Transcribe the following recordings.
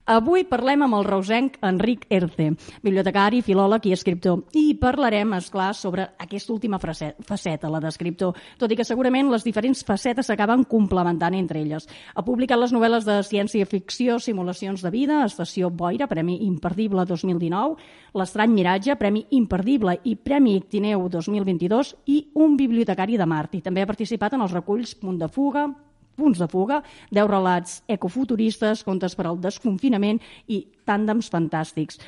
Avui parlem amb el reusenc Enric Erce, bibliotecari, filòleg i escriptor. I parlarem, esclar, sobre aquesta última faceta, la d'escriptor, tot i que segurament les diferents facetes s'acaben complementant entre elles. Ha publicat les novel·les de ciència-ficció Simulacions de vida, Estació Boira, Premi Imperdible 2019, L'estrany miratge, Premi Imperdible i Premi Ictineu 2022 i Un bibliotecari de Mart. I també ha participat en els reculls Punts de fuga, 10 relats ecofuturistes, contes per al desconfinament i tàndems fantàstics.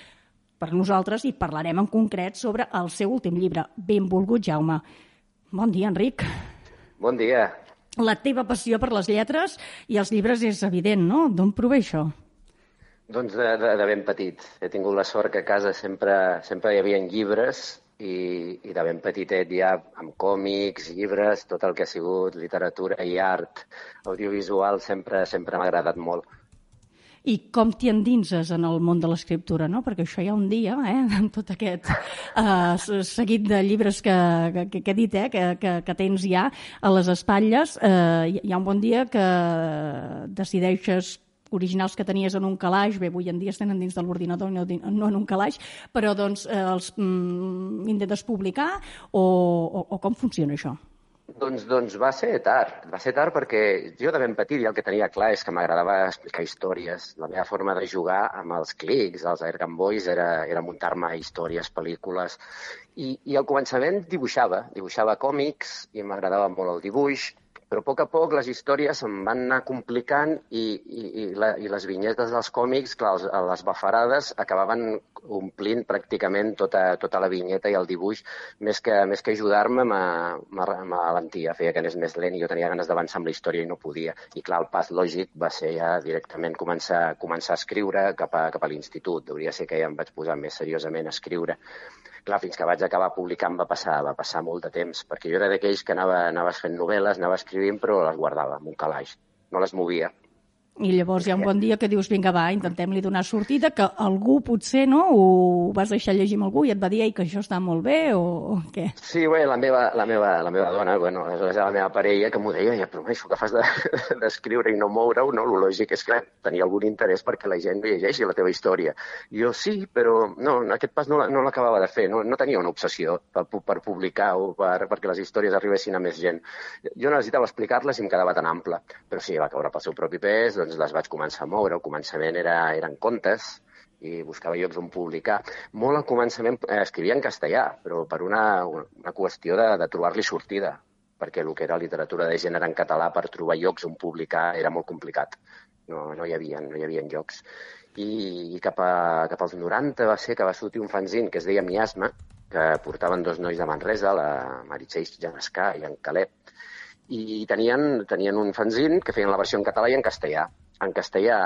Per nosaltres hi parlarem en concret sobre el seu últim llibre, Benvolgut Jaume. Bon dia, Enric. Bon dia. La teva passió per les lletres i els llibres és evident, no? D'on prové això? Doncs de ben petit. He tingut la sort que a casa sempre hi havia llibres i de ben petitet ja amb còmics, llibres, tot el que ha sigut literatura i art audiovisual sempre m'ha agradat molt. I com t'hi endinses en el món de l'escriptura, no? Perquè això hi ha un dia, amb tot aquest seguit de llibres que he dit, que tens ja a les espatlles, hi ha un bon dia que decideixes originals que tenies en un calaix, bé, avui en dia es tenen dins de l'ordinador, no en un calaix, però doncs els intentes publicar o com funciona això? Doncs va ser tard perquè jo de ben petit ja el que tenia clar és que m'agradava explicar històries. La meva forma de jugar amb els clics, els Air Gun Boys, era muntar-me històries, pel·lícules, i al començament dibuixava còmics i m'agradava molt el dibuix, però a poc les històries em van anar complicant i les vinyetes dels còmics, clar, les bafarades acabaven omplint pràcticament tota la vinyeta i el dibuix, més que ajudar-me m'alentia, feia que anés més lent i jo tenia ganes d'avançar amb la història i no podia. I clar, el pas lògic va ser ja directament començar a escriure cap a l'institut. Hauria ser que ja em vaig posar més seriosament a escriure. Clar, fins que vaig acabar publicant va passar molt de temps, perquè jo era d'aquells que anava fent novel·les, anava escrivint, però les guardava en un calaix, no les movia. I llavors hi ha un bon dia que dius, vinga, va, intentem-li donar sortida, que algú potser, no, ho vas deixar llegir amb algú i et va dir que això està molt bé o què? Sí, bé, la meva dona, bueno, aleshores la meva parella, que m'ho deia, però això que fas d'escriure i no moure-ho, no? Lo lògic és que tenia algun interès perquè la gent llegeixi la teva història. I jo sí, però no, aquest pas no l'acabava de fer, no tenia una obsessió per publicar o perquè les històries arribessin a més gent. Jo necessitava explicar-les i em quedava tan ample, però sí, va caure pel seu propi pes, doncs les vaig començar a moure. Al començament eren contes i buscava llocs on publicar. Molt al començament escrivia en castellà, però per una qüestió de trobar-li sortida, perquè el que era literatura de gènere en català per trobar llocs on publicar era molt complicat. No hi havia llocs. I cap als 90 va ser que va sortir un fanzine que es deia Miasma, que portaven dos nois de Manresa, la Meritxell Janescà i en Caleb, i tenien un fanzine que feien la versió en català i en castellà. En castellà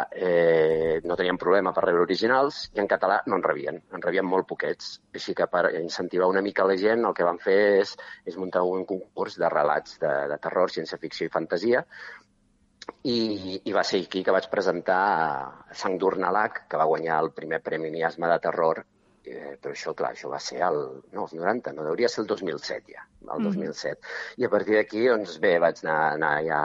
no tenien problema per rebre originals i en català no en rebien molt poquets. Així que per incentivar una mica la gent el que van fer és muntar un concurs de relats de terror, ciència-ficció i fantasia, i va ser aquí que vaig presentar Sang d'Urnalac, que va guanyar el primer Premi Miasma de terror. Però això, clar, això va ser els 90, no hauria ser el 2007 ja, el 2007. I a partir d'aquí, doncs bé, vaig anar ja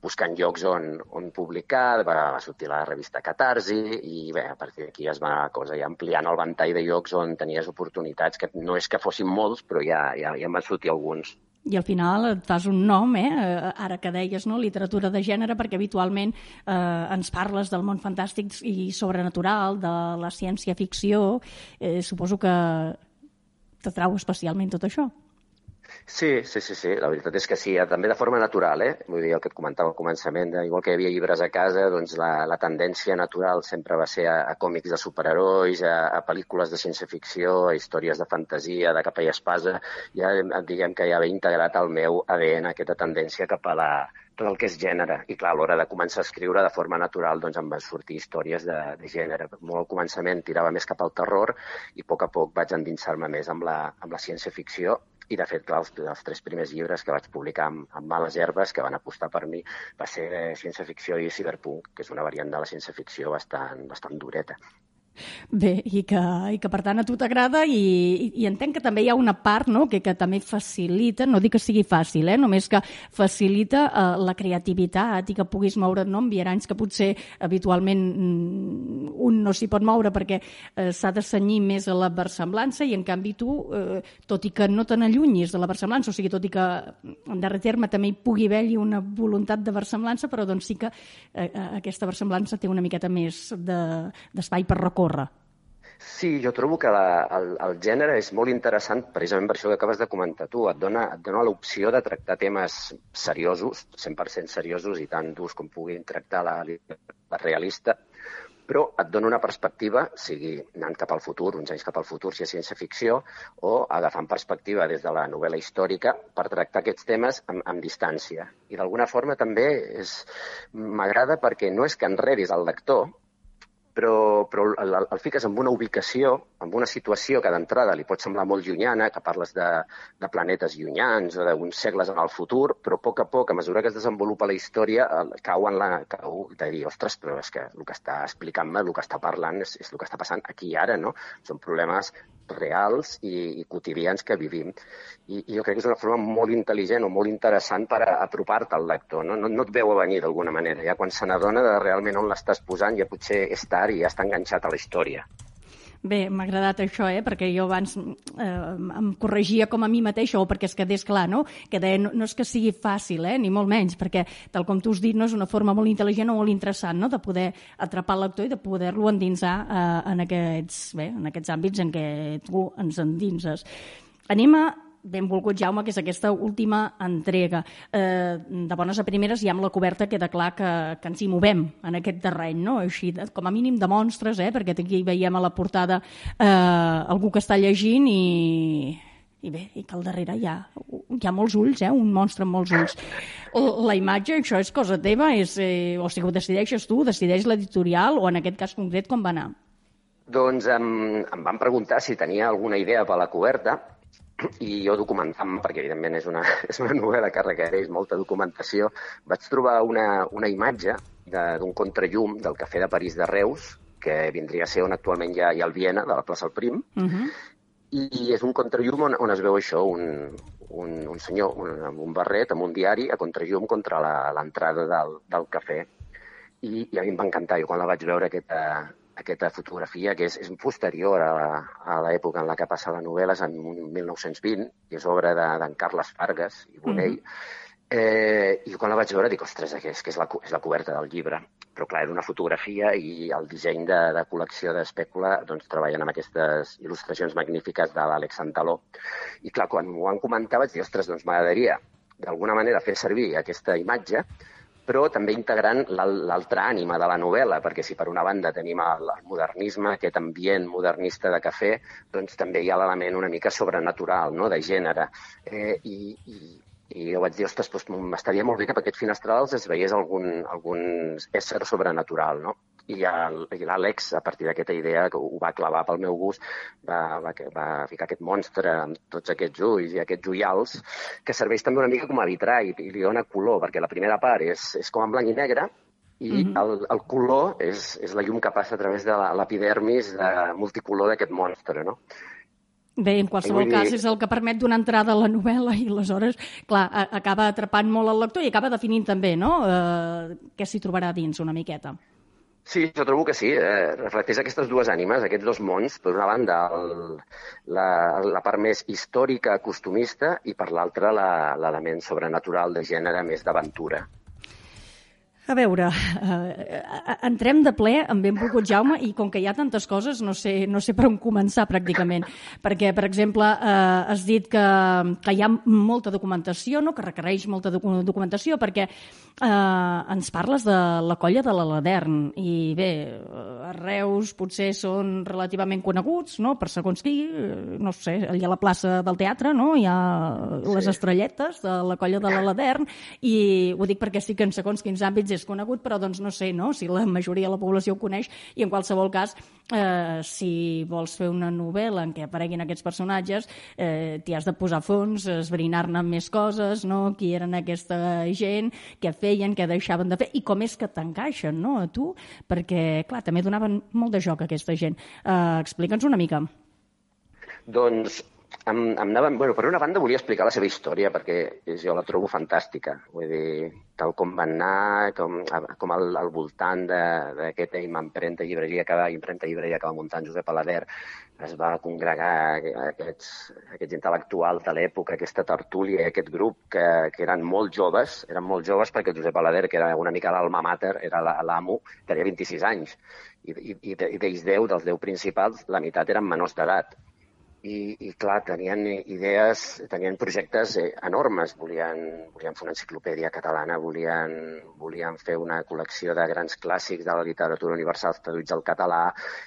buscant llocs on publicar, va sortir la revista Catarsi i bé, a partir d'aquí es va anar la cosa ja ampliant el ventall de llocs on tenies oportunitats, que no és que fossin molts, però ja en van sortir alguns. I al final et fas un nom, ara que deies, no? Literatura de gènere, perquè habitualment ens parles del món fantàstic i sobrenatural, de la ciència-ficció. Suposo que t'atrau especialment tot això. Sí, la veritat és que sí, també de forma natural, Vull dir, el que et comentava al començament, igual que hi havia llibres a casa, doncs la tendència natural sempre va ser a còmics de superherois, a pel·lícules de ciència-ficció, a històries de fantasia, de capa i espasa. Ja diguem que ja ve integrat al meu ADN aquesta tendència cap a tot el que és gènere. I clar, a l'hora de començar a escriure de forma natural doncs em van sortir històries de gènere. Molt al començament tirava més cap al terror i a poc vaig endinsar-me més amb la ciència-ficció. I, de fet, clar, els 3 primers llibres que vaig publicar amb Males Herbes, que van apostar per mi, va ser ciència-ficció i cyberpunk, que és una variant de la ciència-ficció bastant dureta. Bé, i que per tant a tu t'agrada i entenc que també hi ha una part, no?, que també facilita, no dic que sigui fàcil, només que facilita la creativitat i que puguis moure't, no?, en viaranys que potser habitualment un no s'hi pot moure perquè s'ha de cenyir més a la versemblança i en canvi tu, tot i que no te n'allunyis de la versemblança, o sigui, tot i que en darrer terme també hi pugui haver-hi una voluntat de versemblança, però doncs sí que aquesta versemblança té una miqueta més d'espai per recórrer. Sí, jo trobo que el gènere és molt interessant precisament per això que acabes de comentar tu. Et dona l'opció de tractar temes seriosos, 100% seriosos i tan durs com puguin tractar la realista, però et dona una perspectiva, sigui anant cap al futur, uns anys cap al futur, si és ciència-ficció, o agafant perspectiva des de la novel·la històrica per tractar aquests temes amb distància. I d'alguna forma també m'agrada perquè no és que enredis el lector, però el fiques en una ubicació, en una situació que d'entrada li pot semblar molt llunyana, que parles de planetes llunyans o d'uns segles en el futur, però a poc, a mesura que es desenvolupa la història, cau de dir, ostres, però és que el que està explicant-me, el que està parlant és el que està passant aquí i ara, no? Són problemes reals i quotidians que vivim. I jo crec que és una forma molt intel·ligent o molt interessant per apropar-te al lector, no? No et veu a venir d'alguna manera. Ja quan se n'adona de realment on l'estàs posant ja potser és tard i ja està enganxat a la història. Bé, m'ha agradat això, perquè jo abans em corregia com a mi mateixa, o perquè es quedés clar, no? Que deia, no és que sigui fàcil, ni molt menys, perquè, tal com tu has dit, no, és una forma molt intel·ligent o molt interessant, no?, de poder atrapar el lector i de poder-lo endinsar en aquests àmbits en què tu ens endinses. Anem a benvolgut Jaume, que és aquesta última entrega. De bones a primeres, ja amb la coberta queda clar que ens hi movem en aquest terreny, no? Així, com a mínim de monstres, perquè aquí veiem a la portada algú que està llegint i bé, i que al darrere hi ha molts ulls, un monstre amb molts ulls. La imatge, això és cosa teva? O sigui, ho decideixes tu, decideix l'editorial, o en aquest cas concret com va anar? Doncs em van preguntar si tenia alguna idea per la coberta, i jo documentant-me, perquè evidentment és una novel·la que requereix molta documentació, vaig trobar una imatge d'un contrallum del Cafè de París de Reus, que vindria a ser on actualment hi ha el Viena, de la plaça El Prim, i és un contrallum on es veu això, un senyor amb un barret, amb un diari, a contrallum contra l'entrada del cafè. I a mi em va encantar, jo quan la vaig veure aquesta fotografia, que és posterior a l'època en la que passa la novel·la, és en 1920, i és obra d'en Carles Fargas i Bonell. I quan la vaig veure dic, ostres, és la coberta del llibre. Però clar, era una fotografia i el disseny de col·lecció d'Espècula doncs treballen amb aquestes il·lustracions magnífiques de l'Àlex Santaló. I clar, quan m'ho van comentar vaig dir, ostres, doncs m'agradaria d'alguna manera fer servir aquesta imatge, però també integrant l'altra ànima de la novel·la, perquè si per una banda tenim el modernisme, aquest ambient modernista de cafè, doncs també hi ha l'element una mica sobrenatural, no?, de gènere. I jo vaig dir, ostres, doncs m'estaria molt bé que per aquests finestrals es veiés algun ésser sobrenatural, no? I l'Àlex, a partir d'aquesta idea, que ho va clavar pel meu gust, va ficar aquest monstre amb tots aquests ulls i aquests ullals, que serveix també una mica com a vitrall i li dona color, perquè la primera part és com en blanc i negre, i el color és la llum que passa a través de l'epidermis multicolor d'aquest monstre, no? Bé, en qualsevol cas és el que permet donar entrada a la novel·la i aleshores, clar, acaba atrapant molt el lector i acaba definint també, no?, què s'hi trobarà dins una miqueta. Sí, jo trobo que sí. Reflecteix aquestes dues ànimes, aquests dos mons. Per una banda, la part més històrica, costumista, i per l'altra, l'element sobrenatural de gènere més d'aventura. A veure, entrem de ple amb benvolgut Jaume i com que hi ha tantes coses no sé per on començar pràcticament, perquè, per exemple, has dit que hi ha molta documentació, no?, que requereix molta documentació, perquè ens parles de la colla de l'Aladern i bé, a Reus potser són relativament coneguts, no?, per segons qui, no sé, allà a la plaça del teatre, no?, hi ha les estrelletes de la colla de l'Aladern i ho dic perquè sí que en segons quins àmbits és conegut, però doncs no sé, no?, si la majoria de la població ho coneix, i en qualsevol cas, si vols fer una novel·la en què apareguin aquests personatges, t'hi has de posar a fons, esbrinar-ne més coses, no?, qui eren aquesta gent, què feien, què deixaven de fer, i com és que t'encaixen, no?, a tu, perquè, clar, també donaven molt de joc a aquesta gent. Explica'ns una mica. Doncs per una banda volia explicar la seva història perquè jo la trobo fantàstica. Vull dir, tal com van anar, com al voltant d'aquesta impremta llibreria que va muntar en Josep Alader es va congregar aquests intel·lectuals de l'època, aquesta tertúlia, aquest grup que eren molt joves perquè el Josep Alader, que era una mica l'alma mater, era l'amo, tenia 26 anys. I d'ells 10, dels 10 principals, la meitat eren menors d'edat. I clar, tenien idees, tenien projectes enormes. Volien fer una enciclopèdia catalana, volien fer una col·lecció de grans clàssics de la literatura universal traduïts al català,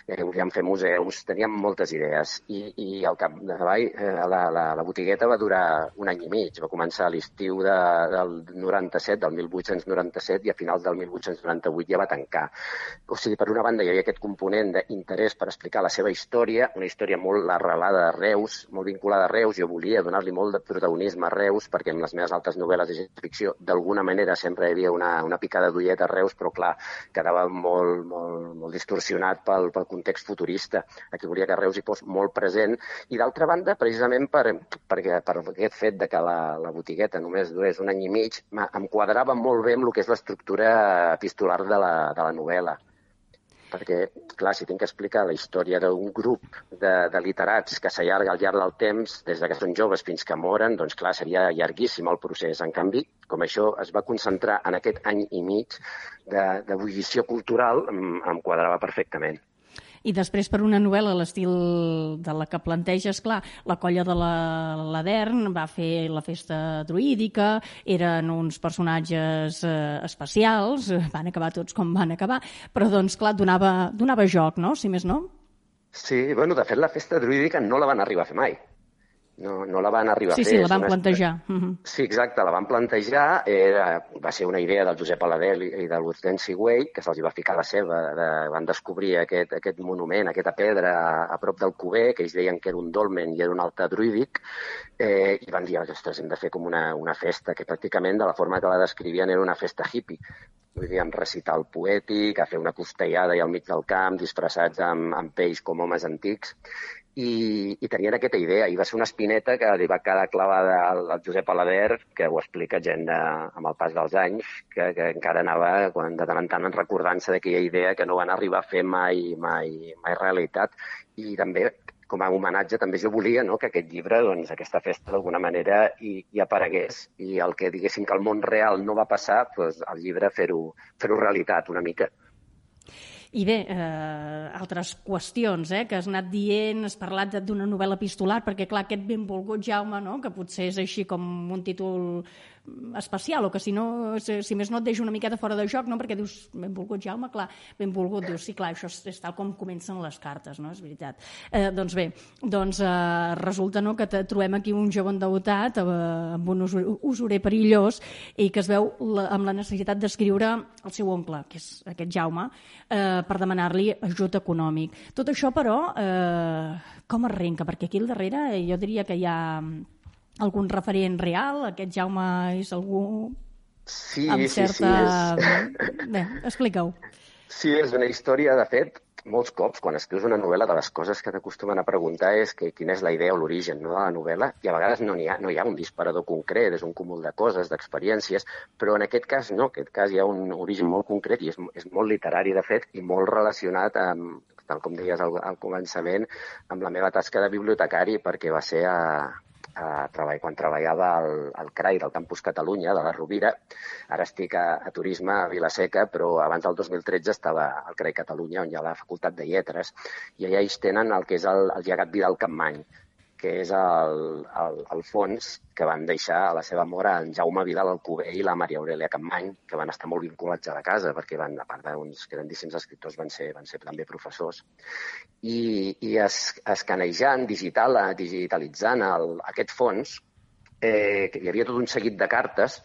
volien fer museus, tenien moltes idees. I al capdavall la botigueta va durar un any i mig. Va començar a l'estiu del 97, del 1897, i a finals del 1898 ja va tancar. O sigui, per una banda hi havia aquest component d'interès per explicar la seva història, una història molt arrelada a Reus, molt vinculada a Reus. Jo volia donar-li molt de protagonisme a Reus, perquè en les meves altres novel·les de ciència-ficció d'alguna manera sempre hi havia una picada d'ullet a Reus, però clar, quedava molt distorsionat pel context futurista. Aquí volia que Reus hi fos molt present, i d'altra banda, precisament per aquest fet de que la botigueta només durés un any i mig, em quadrava molt bé amb el que és l'estructura epistolar de la novel·la. Perquè, clar, si tinc que explicar la història d'un grup de literats que s'allarga al llarg del temps, des que són joves fins que moren, doncs clar, seria llarguíssim el procés. En canvi, com això es va concentrar en aquest any i mig d'ebullició cultural, em quadrava perfectament. I després, per una novel·la a l'estil de la que planteges, clar, la colla de l'Adern va fer la festa druídica, eren uns personatges especials, van acabar tots com van acabar, però, doncs, clar, donava joc, no?, si més no? Sí, bueno, de fet, la festa druídica no la van arribar a fer mai. No la van arribar a fer. Sí, la van plantejar. Sí, exacte, la van plantejar. Va ser una idea del Josep Alader i de l'Hortensi Güell, que se'ls va ficar la seva. Van descobrir aquest monument, aquesta pedra a prop del Cuber, que ells deien que era un dolmen i era un altar druídic, i van dir, ostres, hem de fer com una festa, que pràcticament, de la forma que la descrivien, era una festa hippie. Vull dir, amb recital poètic, a fer una costellada i al mig del camp, disfressats amb pells com homes antics. I tenien aquesta idea, i va ser una espineta que li va quedar clavada al Josep Alader, que ho explica gent amb el pas dels anys, que encara anava de tant en tant recordant-se d'aquella idea que no van arribar a fer mai realitat. I també, com a homenatge, també jo volia, no?, que aquest llibre, doncs, aquesta festa d'alguna manera hi aparegués, i el que diguéssim que el món real no va passar, doncs el llibre fer-ho realitat una mica. I bé, altres qüestions que has anat dient, has parlat d'una novel·la epistolar, perquè clar, aquest Benvolgut Jaume, no?, que potser és així com un títol especial, o que si més no et deixa una miqueta fora de joc, no?, perquè dius, Benvolgut Jaume, clar, benvolgut, dius, sí, clar, això és tal com comencen les cartes, no?, és veritat. Doncs bé, resulta, no?, que trobem aquí un jove endeutat amb un usurer perillós i que es veu amb la necessitat d'escriure al seu oncle, que és aquest Jaume, per demanar-li ajut econòmic. Tot això, però, com arrenca? Perquè aquí al darrere jo diria que hi ha algun referent real? Aquest Jaume és algú amb certa... Bé, explica-ho. Sí, és una història, de fet, molts cops, quan escrius una novel·la, de les coses que t'acostumen a preguntar és quina és la idea o l'origen, no?, de la novel·la, i a vegades no hi ha un disparador concret, és un cúmul de coses, d'experiències, però en aquest cas no, en aquest cas hi ha un origen molt concret i és molt literari, de fet, i molt relacionat amb, tal com deies al començament, amb la meva tasca de bibliotecari, perquè va ser quan treballava al CRAI del Campus Catalunya, de la Rovira. Ara estic a Turisme, a Vila-seca, però abans del 2013 estava al CRAI Catalunya, on hi ha la Facultat de Lletres, i allà ells tenen el que és el llegat Vidal-Capmany, que és el fons que van deixar a la seva mort en Jaume Vidal Alcover i la Maria Aurelia Capmany, que van estar molt vinculats a la casa, perquè a part d'uns grandíssims escriptors van ser també professors. I escanejant, digitalitzant aquest fons, hi havia tot un seguit de cartes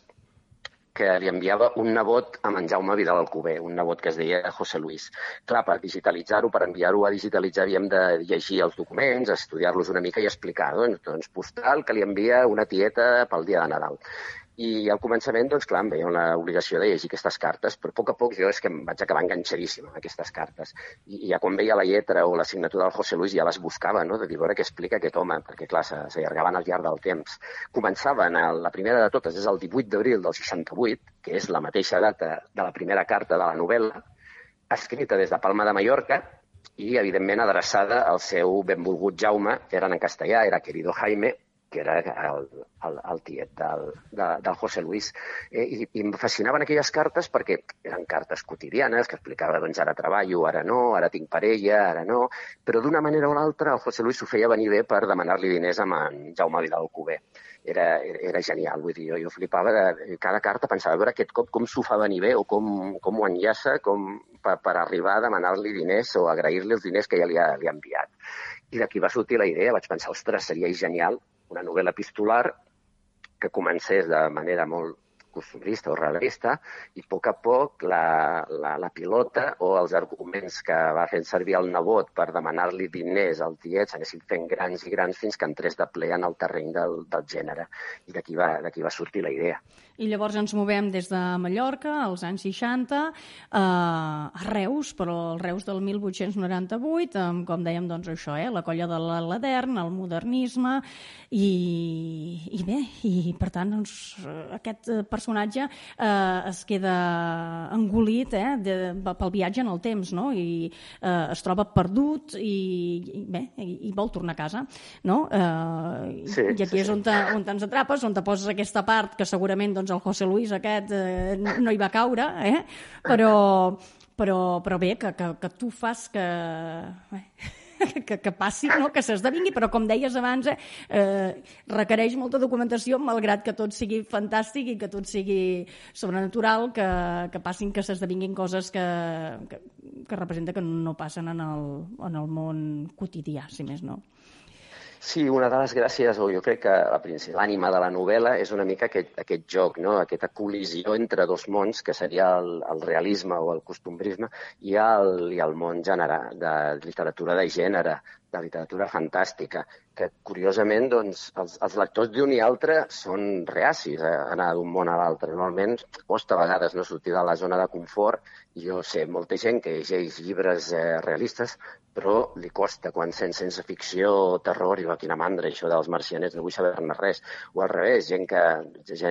que li enviava un nebot a en Jaume Vidal Alcover, un nebot que es deia José Luis. Clar, per digitalitzar-ho, per enviar-ho a digitalitzar, havíem de llegir els documents, estudiar-los una mica i explicar, doncs postal que li envia una tieta pel dia de Nadal. I al començament, doncs clar, em veia l'obligació de llegir aquestes cartes, però a poc jo és que em vaig acabar enganxadíssim amb aquestes cartes. I ja quan veia la lletra o la signatura del José Luis ja les buscava, no?, de dir, a veure què explica aquest home, perquè clar, s'allargaven al llarg del temps. Començaven, la primera de totes és el 18 d'abril del 68, que és la mateixa data de la primera carta de la novel·la, escrita des de Palma de Mallorca i, evidentment, adreçada al seu benvolgut Jaume, que era en castellà, era querido Jaime, que era el tiet del José Luis. I em fascinaven aquelles cartes perquè eren cartes quotidianes, que explicava, doncs, ara treballo, ara no, ara tinc parella, ara no, però d'una manera o l'altra el José Luis s'ho feia venir bé per demanar-li diners a en Jaume Vidal Alcover. Era genial, vull dir, jo flipava de cada carta, pensava, a veure aquest cop com s'ho fa venir bé o com ho enllaça per arribar a demanar-li diners o agrair-li els diners que ja li ha enviat. I d'aquí va sortir la idea, vaig pensar, ostres, seria genial una novel·la epistolar que comencés de manera molt costumbrista o realista i a poc la pilota o els arguments que va fent servir el nebot per demanar-li diners al tiet s'anessin fent grans i grans fins que entrés de ple en el terreny del gènere. I d'aquí va sortir la idea. I llavors ens movem des de Mallorca, als anys 60, a Reus, però el Reus del 1898, amb, com dèiem, doncs això, la colla de l'Adern, el modernisme, i bé, i per tant, doncs, aquest personatge es queda engolit pel viatge en el temps, no? I es troba perdut i bé, i vol tornar a casa, no? I aquí és on ens atrapes, on te poses aquesta part que segurament el José Luis aquest no hi va caure, però bé, que tu fas que passi, no? Que s'esdevingui, però com deies abans, requereix molta documentació, malgrat que tot sigui fantàstic i que tot sigui sobrenatural, que passin, que s'esdevinguin coses que representa que no passen en el món quotidià, si més no. Sí, una de les gràcies, o jo crec que l'ànima de la novel·la és una mica aquest joc, no? Aquesta col·lisió entre dos mons, que seria el realisme o el costumbrisme, i el món de literatura de gènere, de literatura fantàstica, que curiosament doncs, els lectors d'un i altre són reacis a anar d'un món a l'altre. Normalment costa a vegades no sortir de la zona de confort. Jo sé molta gent que llegeix llibres realistes, però li costa quan sent ciència ficció o terror i quina mandra, això dels marcianets, no vull saber-ne res. O al revés, gent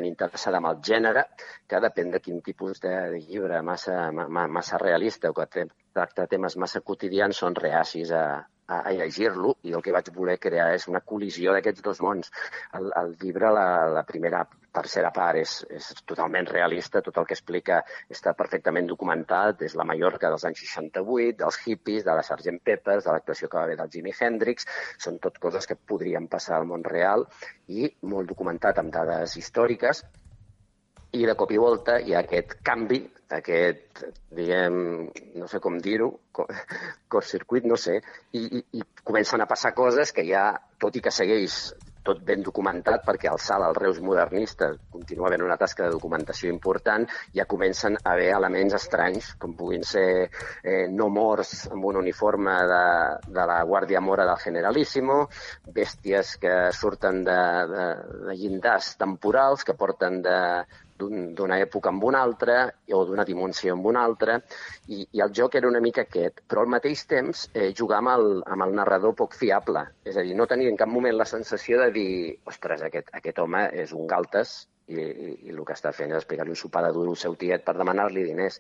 interessada en el gènere, que depèn de quin tipus de llibre massa realista o que tracta temes massa quotidians, són reacis a llegir-lo, i el que vaig voler crear és una col·lisió d'aquests dos mons. El llibre, la tercera part, és totalment realista, tot el que explica està perfectament documentat, és la Mallorca dels anys 68, dels hippies, de la Sgt. Peppers, de l'actuació que va haver del Jimi Hendrix, són tot coses que podrien passar al món real i molt documentat amb dades històriques. I de cop i volta hi ha aquest canvi, aquest, diguem, no sé com dir-ho, curtcircuit, no sé, i comencen a passar coses que ja, tot i que segueix tot ben documentat, perquè al salt al Reus modernista continua havent una tasca de documentació important, ja comencen a haver elements estranys, com puguin ser no morts amb un uniforme de la Guàrdia Mora del Generalíssimo, bèsties que surten de llindars temporals, que porten d'una època amb una altra o d'una dimensió amb una altra, i el joc era una mica aquest, però al mateix temps jugar amb el narrador poc fiable, és a dir, no tenir en cap moment la sensació de dir, ostres, aquest home és un galtes i el que està fent és explicar-li un sopar de duro al seu tiet per demanar-li diners,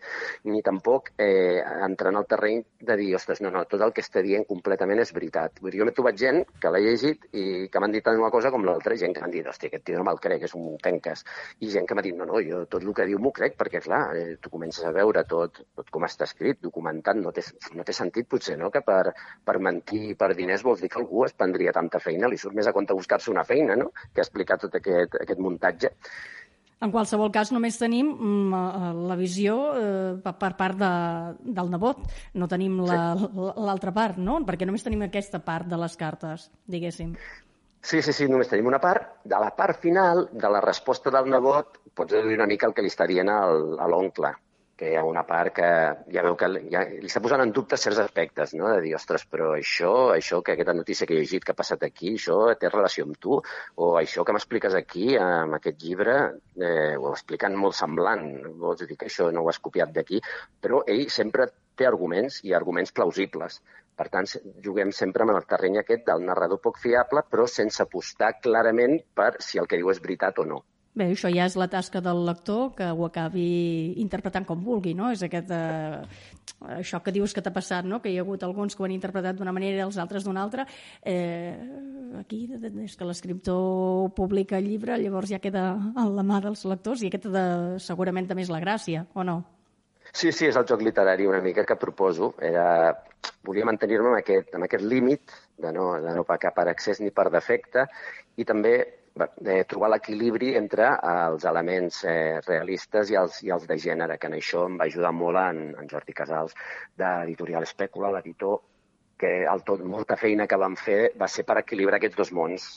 ni tampoc entrar en el terreny de dir, ostres, no, tot el que està dient completament és veritat. Vull dir, jo m'he trobat gent que l'ha llegit i que m'han dit una cosa com l'altra, gent que m'han dit, hòstia, aquest tio no me'l crec, és un penques, i gent que m'ha dit, no, jo tot el que diu m'ho crec, perquè clar, tu comences a veure tot com està escrit, documentat, no té sentit potser, no?, que per mentir per diners vols dir que algú es prendria tanta feina, li surt més a compte buscar-se una feina, no?, que explicar tot aquest muntatge. En qualsevol cas, només tenim la visió per part del nebot. No tenim l'altra part, no? Perquè només tenim aquesta part de les cartes, diguéssim. Sí, només tenim una part. De la part final, de la resposta del nebot, pots deduir una mica el que li està dient a l'oncle, que hi ha una part que ja veu que ja li està posant en dubte certs aspectes, no? De dir, ostres, però això que aquesta notícia que he llegit que ha passat aquí, això té relació amb tu? O això que m'expliques aquí, amb aquest llibre, ho expliquen molt semblant. Vols dir que això no ho has copiat d'aquí? Però ell sempre té arguments i arguments plausibles. Per tant, juguem sempre amb el terreny aquest del narrador poc fiable, però sense apostar clarament per si el que diu és veritat o no. Bé, això ja és la tasca del lector, que ho acabi interpretant com vulgui, no? És això que dius que t'ha passat, no? Que hi ha hagut alguns que ho han interpretat d'una manera i els altres d'una altra. Aquí, des que l'escriptor publica el llibre, llavors ja queda en la mà dels lectors i aquesta segurament també és la gràcia, o no? Sí, és el joc literari una mica que proposo. Volia mantenir-me amb aquest límit de no pecar per excés ni per defecte i també trobar l'equilibri entre els elements realistes i els de gènere, que en això em va ajudar molt en Jordi Casals, d'Editorial Espècula, l'editor, que molta feina que vam fer va ser per equilibrar aquests dos mons,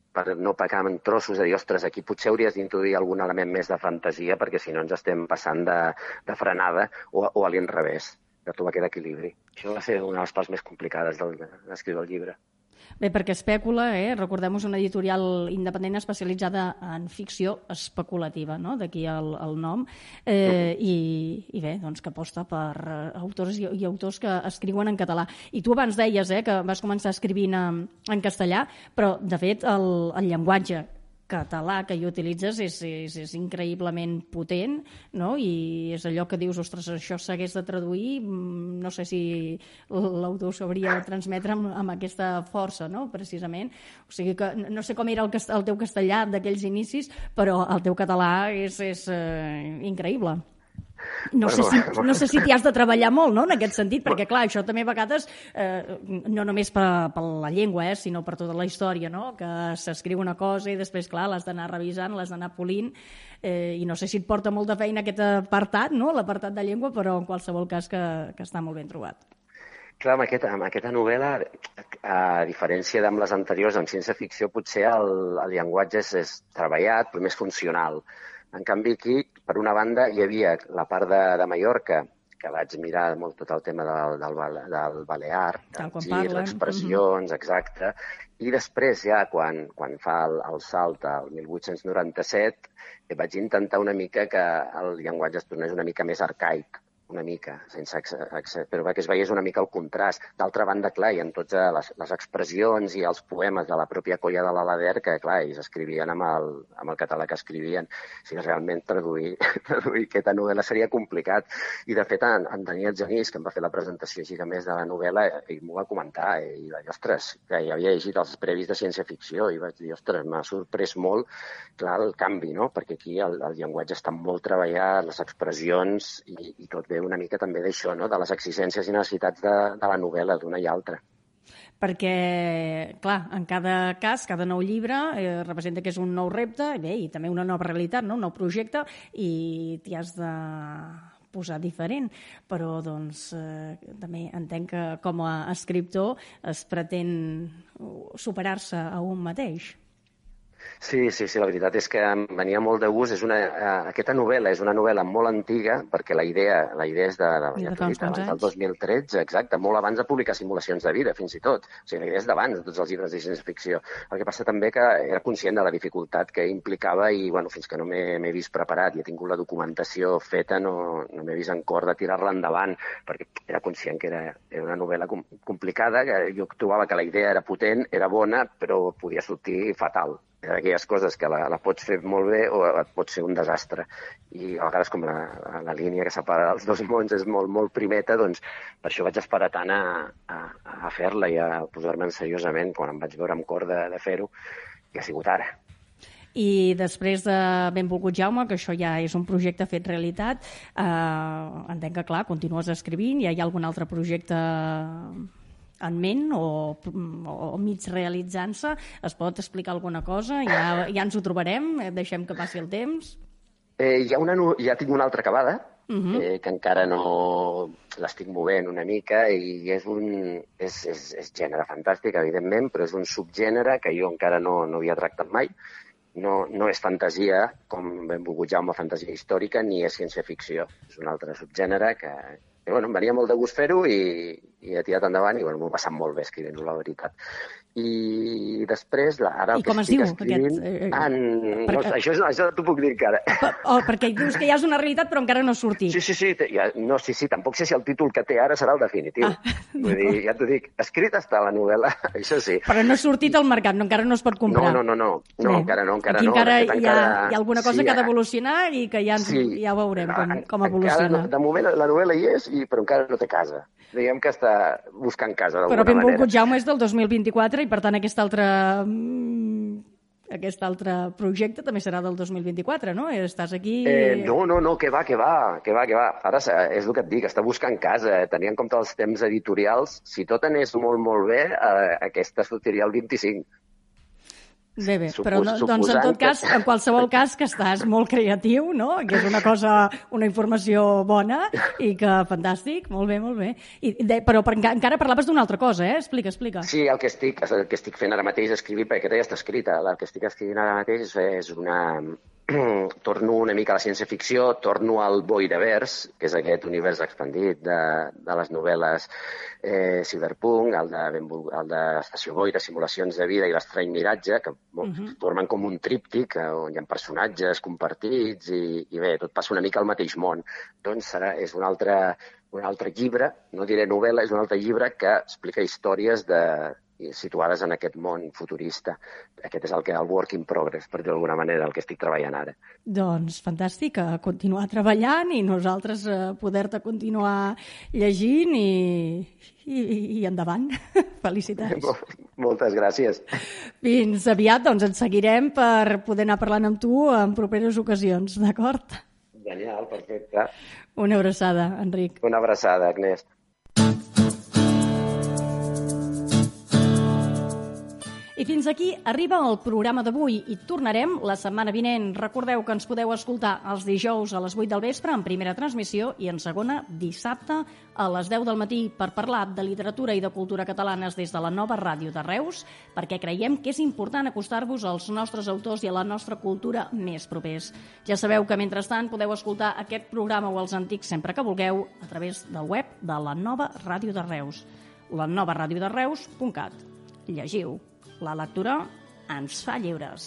per no pecar en trossos de dir, ostres, aquí potser hauries d'introduir algun element més de fantasia perquè si no ens estem passant de frenada o a l'inrevés, de trobar aquest equilibri. Això va ser una de les parts més complicades d'escriure el llibre. Bé, perquè Espècula, recordem, és una editorial independent especialitzada en ficció especulativa, no? D'aquí el nom, i bé, doncs que aposta per autores i autors que escriuen en català. I tu abans deies que vas començar escrivint en castellà, però de fet el llenguatge català que hi utilitzes és increïblement potent, no? I és allò que dius, ostres, això s'hagués de traduir, no sé si l'autor sabria transmetre amb aquesta força, no? Precisament. O sigui que no sé com era el teu castellà d'aquells inicis, però el teu català és increïble. No sé si t'hi has de treballar molt, no?, en aquest sentit, perquè, clar, això també a vegades, no només per la llengua, sinó per tota la història, no?, que s'escriu una cosa i després, clar, l'has d'anar revisant, l'has d'anar polint, i no sé si et porta molta feina aquest apartat, no?, l'apartat de llengua, però en qualsevol cas que està molt ben trobat. Clar, amb aquesta novel·la, a diferència d'amb les anteriors, en ciència-ficció, potser el llenguatge és treballat, però més funcional. En canvi, aquí, per una banda, hi havia la part de Mallorca, que vaig mirar molt tot el tema del balear, dels girs, expressions, exacte, i després ja, quan fa el salt al 1897, vaig intentar una mica que el llenguatge es tornés una mica més arcaic, una mica, però perquè es veiés una mica el contrast. D'altra banda, clar, hi ha totes les expressions i els poemes de la pròpia colla de l'Alader que, clar, ells escrivien amb el català que escrivien. O sigui, realment traduir aquesta novel·la seria complicat. I, de fet, en Daniel Genís, que em va fer la presentació així més de la novel·la, ell m'ho va comentar, i va dir, ostres, que ja havia llegit els previs de ciència-ficció, i vaig dir, ostres, m'ha sorprès molt, clar, el canvi, no? Perquè aquí el llenguatge està molt treballat, les expressions i tot bé una mica també d'això, no?, de les exigències i necessitats de la novel·la d'una i altra. Perquè, clar, en cada cas, cada nou llibre representa que és un nou repte, i també una nova realitat, no?, un nou projecte, i t'hi has de posar diferent, però doncs també entenc que com a escriptor es pretén superar-se a un mateix. Sí, la veritat és que em venia molt de gust. Aquesta novel·la és una novel·la molt antiga, perquè la idea és abans del 2013, exacte, molt abans de publicar Simulacions de vida, fins i tot. O sigui, la idea és d'abans de tots els llibres de ciència-ficció. El que passa també que era conscient de la dificultat que implicava i, bueno, fins que no m'he vist preparat i he tingut la documentació feta, no m'he vist en cor de tirar-la endavant, perquè era conscient que era una novel·la complicada, que jo trobava que la idea era potent, era bona, però podia sortir fatal. D'aquelles coses que la pots fer molt bé o et pot ser un desastre. I a vegades, com la línia que separa els dos mons és molt, molt primeta, doncs per això vaig esperar tant a fer-la i a posar-me'n seriosament quan em vaig veure amb cor de fer-ho, i ha sigut ara. I després de Benvolgut Jaume, que això ja és un projecte fet realitat, entenc que, clar, continues escrivint, hi ha algun altre projecte en ment o mig realitzant-se? Es pot explicar alguna cosa? Ja ens ho trobarem? Deixem que passi el temps? Ja tinc una altra acabada, que encara no l'estic movent una mica i és gènere fantàstic, evidentment, però és un subgènere que jo encara no havia tractat mai. No és fantasia, com benvolgut Jaume, fantasia històrica, ni és ciència-ficció. És un altre subgènere que bueno, em venia molt de gust fer-ho i he tirat endavant i bueno, m'ho he passat molt bé escrivint-ho, la veritat. I després, ara el que estic escrivint... No, això t'ho puc dir encara. Perquè dius que ja és una realitat però encara no ha sortit. Sí, tampoc sé si el títol que té ara serà el definitiu. Vull dir, ja t'ho dic, escrita està la novel·la, això sí. Però no ha sortit al mercat, encara no es pot comprar. No, encara no. Aquí encara hi ha alguna cosa que ha d'evolucionar i que ja veurem com evoluciona. De moment la novel·la hi és, però encara no té casa. Diguem que està buscant casa d'alguna manera. Però benvolgut Jaume és del 2024 i per tant aquest altre projecte també serà del 2024, no? Estàs aquí... No, que va. Ara és el que et dic, està buscant casa. Tenint en compte els temps editorials, si tot anés molt, molt bé, aquesta sortiria el 25. Bé, però doncs en tot cas, en qualsevol cas que estàs molt creatiu, no? Que és una informació bona i que fantàstic, molt bé. Però encara parlaves d'una altra cosa, Explica. Sí, el que estic fent ara mateix és escrivir, perquè aquesta ja està escrita. El que estic escrivint ara mateix és torno una mica a la ciència-ficció, torno al Boiravers, que és aquest univers expandit de les novel·les Cyberpunk, el d'Estació Boira, Simulacions de vida i l'Estrany Miratge, que formen com un tríptic on hi ha personatges compartits i bé, tot passa una mica al mateix món. Doncs és un altre llibre, no diré novel·la, és un altre llibre que explica històries situades en aquest món futurista. Aquest és el work in progress, per dir d'alguna manera, el que estic treballant ara. Doncs fantàstic, a continuar treballant i nosaltres poder-te continuar llegint i endavant. Felicitats. Moltes gràcies. Fins aviat, doncs ens seguirem per poder anar parlant amb tu en properes ocasions, d'acord? Genial, perfecte. Una abraçada, Enric. Una abraçada, Agnès. I fins aquí arriba el programa d'avui i tornarem la setmana vinent. Recordeu que ens podeu escoltar els dijous a les 8 del vespre en primera transmissió i en segona dissabte a les 10 del matí per parlar de literatura i de cultura catalanes des de la nova ràdio de Reus, perquè creiem que és important acostar-vos als nostres autors i a la nostra cultura més propers. Ja sabeu que mentrestant podeu escoltar aquest programa o els antics sempre que vulgueu a través del web de la nova ràdio de Reus, lanovaradiodereus.cat. Llegiu. La lectura ens fa lliures.